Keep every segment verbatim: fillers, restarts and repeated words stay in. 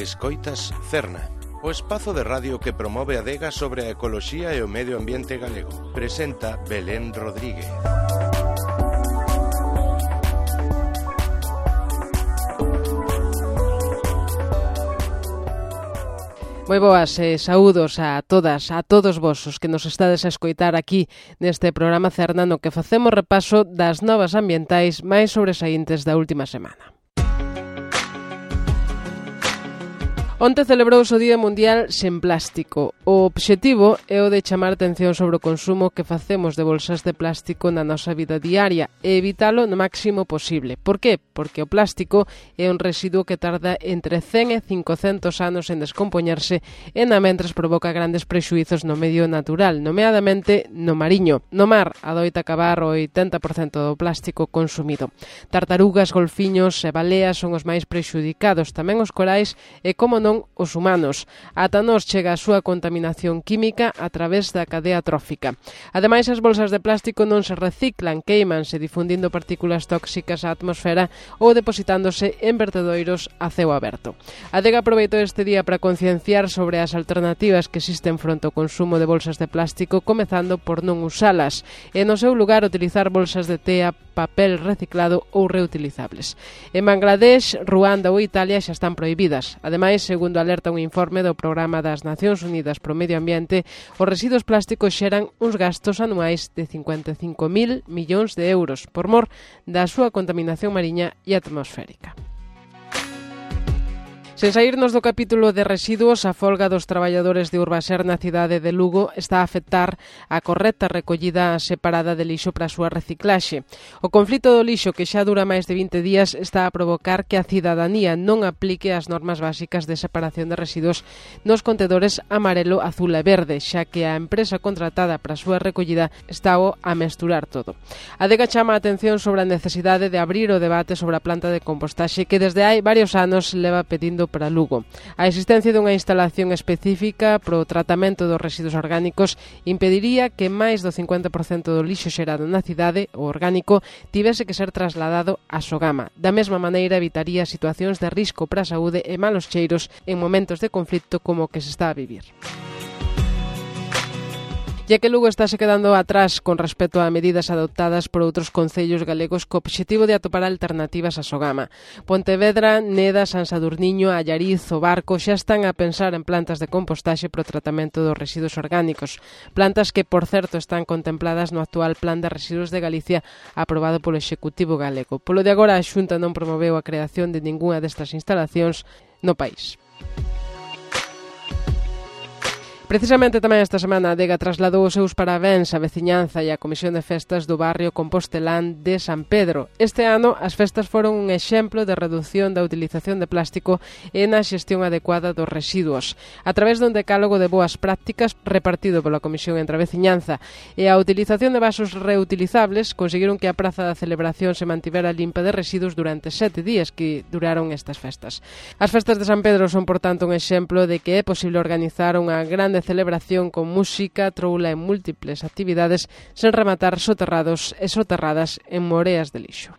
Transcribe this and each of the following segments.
Escoitas Cerna, o espazo de radio que promove a adega sobre a ecoloxía e o medio ambiente galego. Presenta Belén Rodríguez. Moi boas e saúdos a todas, a todos vos os que nos estades a escoitar aquí neste programa Cerna no que facemos repaso das novas ambientais máis sobresaíntes da última semana. Onte celebrouse o Día Mundial sen plástico. O obxectivo é o de chamar atención sobre o consumo que facemos de bolsas de plástico na nosa vida diaria e evitalo no máximo posible. Por qué? Porque o plástico é un residuo que tarda entre cen e cincocentos anos en descompoñerse e na mentres provoca grandes prexuizos no medio natural, nomeadamente no mariño. No mar adoita acabar o oitenta por cento do plástico consumido. Tartarugas, golfiños e baleas son os máis prexudicados, tamén os corais e, como non, os humanos. Ata nos chega a súa contaminación química a través da cadea trófica. Ademais, as bolsas de plástico non se reciclan, queimanse difundindo partículas tóxicas á atmosfera ou depositándose en vertedoiros a ceo aberto. A adega aproveitou este día para concienciar sobre as alternativas que existen fronte ao consumo de bolsas de plástico, comezando por non usalas e, no seu lugar, utilizar bolsas de tea, papel reciclado ou reutilizables. En Bangladesh, Ruanda ou Italia xa están prohibidas. Ademais, segundo alerta un informe do Programa das Nacións Unidas pro Medio Ambiente, os residuos plásticos xeran uns gastos anuais de cincuenta e cinco mil millóns de euros por mor da súa contaminación mariña e atmosférica. Sen saírnos do capítulo de residuos, a folga dos traballadores de Urbaser na cidade de Lugo está a afectar a correcta recollida separada de lixo para a súa reciclaxe. O conflito do lixo, que xa dura máis de vinte días, está a provocar que a cidadanía non aplique as normas básicas de separación de residuos nos contedores amarelo, azul e verde, xa que a empresa contratada para a súa recollida está a mesturar todo. A adega chama a atención sobre a necesidade de abrir o debate sobre a planta de compostaxe que desde hai varios anos leva pedindo para Lugo. A existencia dunha instalación específica para o tratamento dos residuos orgánicos impediría que máis do cincuenta por cento do lixo xerado na cidade, o orgánico, tivese que ser trasladado a Sogama. Da mesma maneira, evitaría situacións de risco para a saúde e malos cheiros en momentos de conflito como o que se está a vivir. Ya que Lugo estáse quedando atrás con respecto a medidas adoptadas por outros concellos galegos co obxectivo de atopar alternativas a Sogama. Pontevedra, Neda, San Sadurniño, Allariz, O Barco xa están a pensar en plantas de compostaxe para o tratamento dos residuos orgánicos. Plantas que, por certo, están contempladas no actual Plan de Residuos de Galicia aprobado polo Executivo galego. Polo de agora, a Xunta non promoveu a creación de ningunha destas instalacións no país. Precisamente tamén esta semana a adega trasladou os seus parabéns á veciñanza e á Comisión de Festas do barrio compostelán de San Pedro. Este ano as festas foron un exemplo de redución da utilización de plástico e na xestión adecuada dos residuos. A través dun decálogo de boas prácticas repartido pola Comisión entre a veciñanza e a utilización de vasos reutilizables, conseguiron que a praza da celebración se mantivera limpa de residuos durante sete días que duraron estas festas. As festas de San Pedro son, por tanto, un exemplo de que é posible organizar unha grande celebración con música, troula e múltiples actividades sen rematar soterrados e soterradas en moreas de lixo.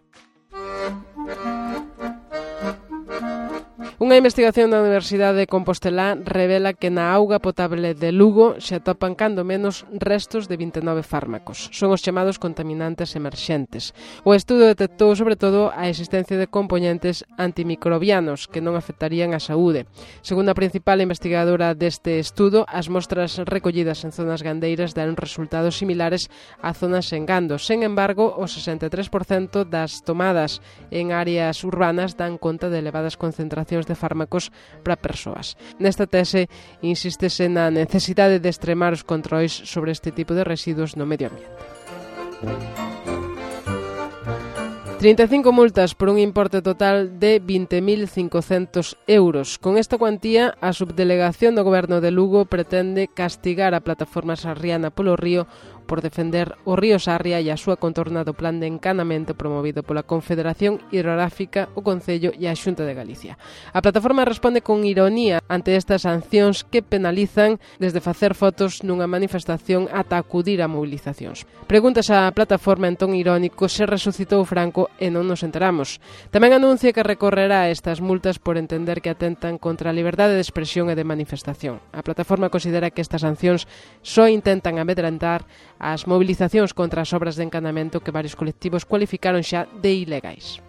Unha investigación da Universidade de Compostelá revela que na auga potable de Lugo se atopan cando menos restos de vinte e nove fármacos. Son os chamados contaminantes emerxentes. O estudo detectou sobre todo a existencia de componentes antimicrobianos que non afectarían a saúde. Segundo a principal investigadora deste estudo, as mostras recollidas en zonas gandeiras dan resultados similares a zonas en gando. Sen embargo, o sesenta e tres por cento das tomadas en áreas urbanas dan conta de elevadas concentracións de fármacos para persoas. Nesta tese, insístese na necesidade de extremar os controis sobre este tipo de residuos no medio ambiente. trinta e cinco multas por un importe total de vinte mil cincocentos euros. Con esta cuantía, a Subdelegación do Goberno de Lugo pretende castigar a plataforma Sarriana polo Río por defender o río Sarria e a súa contorna do plan de encanamento promovido pola Confederación Hidrográfica, o Concello e a Xunta de Galicia. A plataforma responde con ironía ante estas sancións que penalizan desde facer fotos nunha manifestación ata acudir a movilizacións. Pregúntase a plataforma en ton irónico se resucitou Franco e non nos enteramos. Tamén anuncia que recorrerá estas multas por entender que atentan contra a liberdade de expresión e de manifestación. A plataforma considera que estas sancións só intentan amedrentar as movilizacións contra as obras de encanamento que varios colectivos cualificaron xa de ilegais.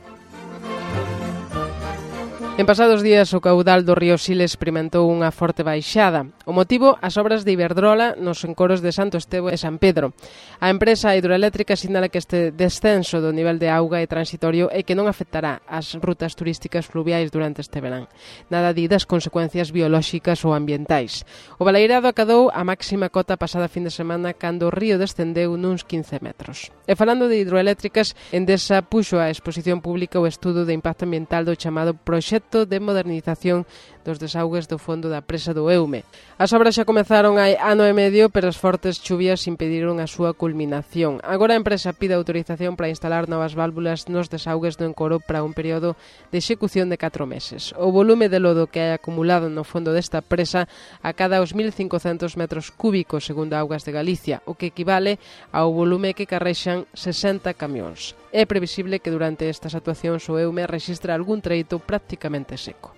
En pasados días, o caudal do río Siles experimentou unha forte baixada. O motivo, as obras de Iberdrola nos encoros de Santo Estevo e San Pedro. A empresa hidroeléctrica sinala que este descenso do nivel de auga é transitorio e que non afectará as rutas turísticas fluviais durante este verán. Nada di das consecuencias biolóxicas ou ambientais. O baleirado acadou a máxima cota pasada fin de semana cando o río descendeu nuns quince metros. E falando de hidroeléctricas, Endesa puxo á exposición pública o estudo de impacto ambiental do chamado proxecto de modernización dos desaugues do fondo da presa do Eume. As obras xa comezaron hai ano e medio, pero as fortes chuvias impediron a súa culminación. Agora a empresa pide autorización para instalar novas válvulas nos desaugues do encoro para un período de execución de catro meses. O volume de lodo que hai acumulado no fondo desta presa acada aos mil cincocentos metros cúbicos, segundo Augas de Galicia, o que equivale ao volume que carrexan sesenta camións. É previsible que durante estas actuacións o Eume rexistre algún treito prácticamente seco.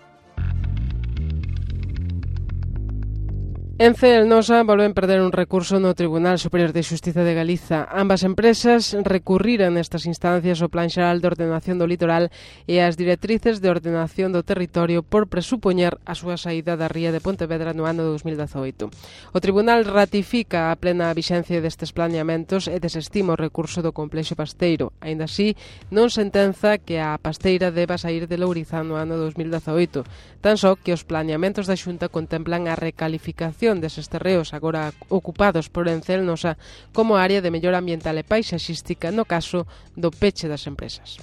Ence e Elnosa volven perder un recurso no Tribunal Superior de Xustiza de Galiza. Ambas empresas recurriran nestas instancias o Plan Xeral de Ordenación do Litoral e as directrices de ordenación do territorio por presupoñer a súa saída da ría de Pontevedra no ano dos mil dezoito. O Tribunal ratifica a plena vixencia destes planeamentos e desestima o recurso do Complexo Pasteiro. Aínda así, non sentenza que a pasteira deba sair de Lourizán no ano dos mil dezoito, tan só que os planeamentos da Xunta contemplan a recalificación deses terreos agora ocupados por Ence e Elnosa como área de mellora ambiental e paisaxística no caso do peche das empresas.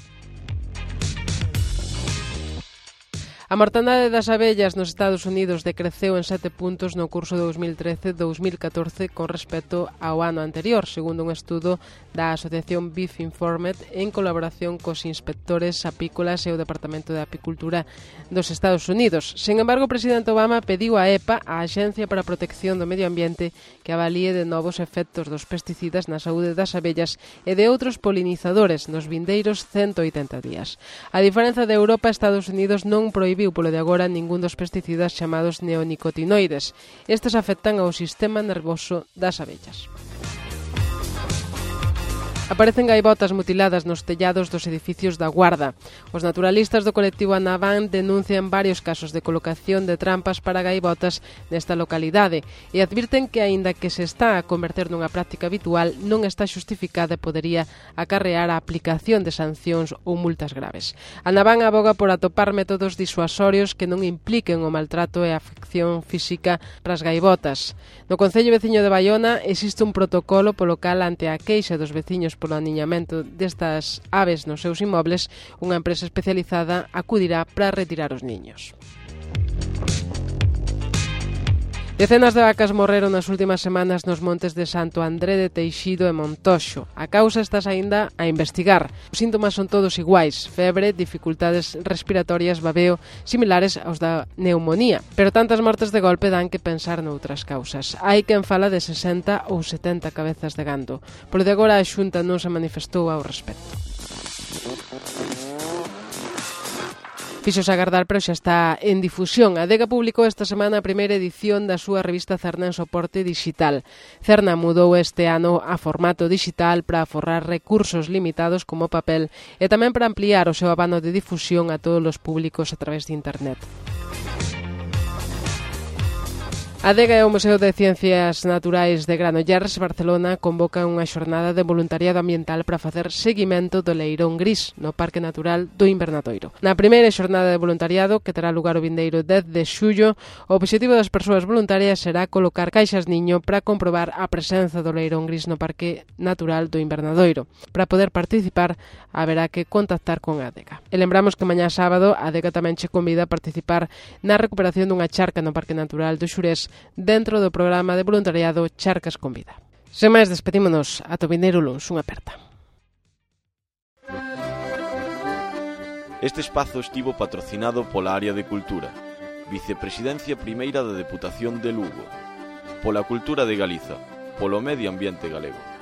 A mortandade das abellas nos Estados Unidos decreceu en sete puntos no curso dos mil trece dos mil catorce con respecto ao ano anterior, segundo un estudo da Asociación Beef Informed en colaboración cos inspectores apícolas e o Departamento de Apicultura dos Estados Unidos. Sen embargo, o presidente Obama pediu a EPA, a Axencia para a Protección do Medio Ambiente, que avalíe de novos efectos dos pesticidas na saúde das abellas e de outros polinizadores nos vindeiros cento oitenta días. A diferenza de Europa, Estados Unidos non prohibiu polo de agora ningún dos pesticidas chamados neonicotinoides. Estes afectan ao sistema nervoso das abellas. Aparecen gaivotas mutiladas nos tellados dos edificios da Guarda. Os naturalistas do colectivo Anaván denuncian varios casos de colocación de trampas para gaivotas nesta localidade e advirten que, aínda que se está a converter nunha práctica habitual, non está xustificada e podería acarrear a aplicación de sancións ou multas graves. Anaván aboga por atopar métodos disuasorios que non impliquen o maltrato e a afección física para as gaivotas. No Concello veciño de Baiona existe un protocolo polo cal, ante a queixa dos veciños polo aniñamento destas aves nos seus inmobles, unha empresa especializada acudirá para retirar os niños. Decenas de vacas morreron nas últimas semanas nos montes de Santo André de Teixido e Montoxo. A causa estás aínda a investigar. Os síntomas son todos iguais: febre, dificultades respiratorias, babeo, similares aos da neumonía. Pero tantas mortes de golpe dan que pensar noutras causas. Hai quen fala de sesenta ou setenta cabezas de gando. Por de agora a Xunta non se manifestou ao respecto. Fixos agardar, pero xa está en difusión. A Adega publicou esta semana a primeira edición da súa revista Cerna en soporte digital. Cerna mudou este ano a formato digital para aforrar recursos limitados como papel e tamén para ampliar o seu abano de difusión a todos os públicos a través de internet. A Adega e o Museo de Ciencias Naturais de Granollers, Barcelona, convocan unha xornada de voluntariado ambiental para facer seguimento do leirón gris no Parque Natural do Invernadoiro. Na primeira xornada de voluntariado, que terá lugar o vindeiro dez de xullo, o obxectivo das persoas voluntarias será colocar caixas niño para comprobar a presenza do leirón gris no Parque Natural do Invernadoiro. Para poder participar, haberá que contactar con a Adega. E lembramos que mañá sábado a Adega tamén che convida a participar na recuperación dunha charca no Parque Natural do Xurés dentro do programa de voluntariado Charcas con Vida. Sen máis, despedímonos. Ata o vindeiro luns. Unha aperta. Este espazo estivo patrocinado pola Área de Cultura, Vicepresidencia Primeira da Deputación de Lugo, pola Cultura de Galiza, polo Medio Ambiente Galego.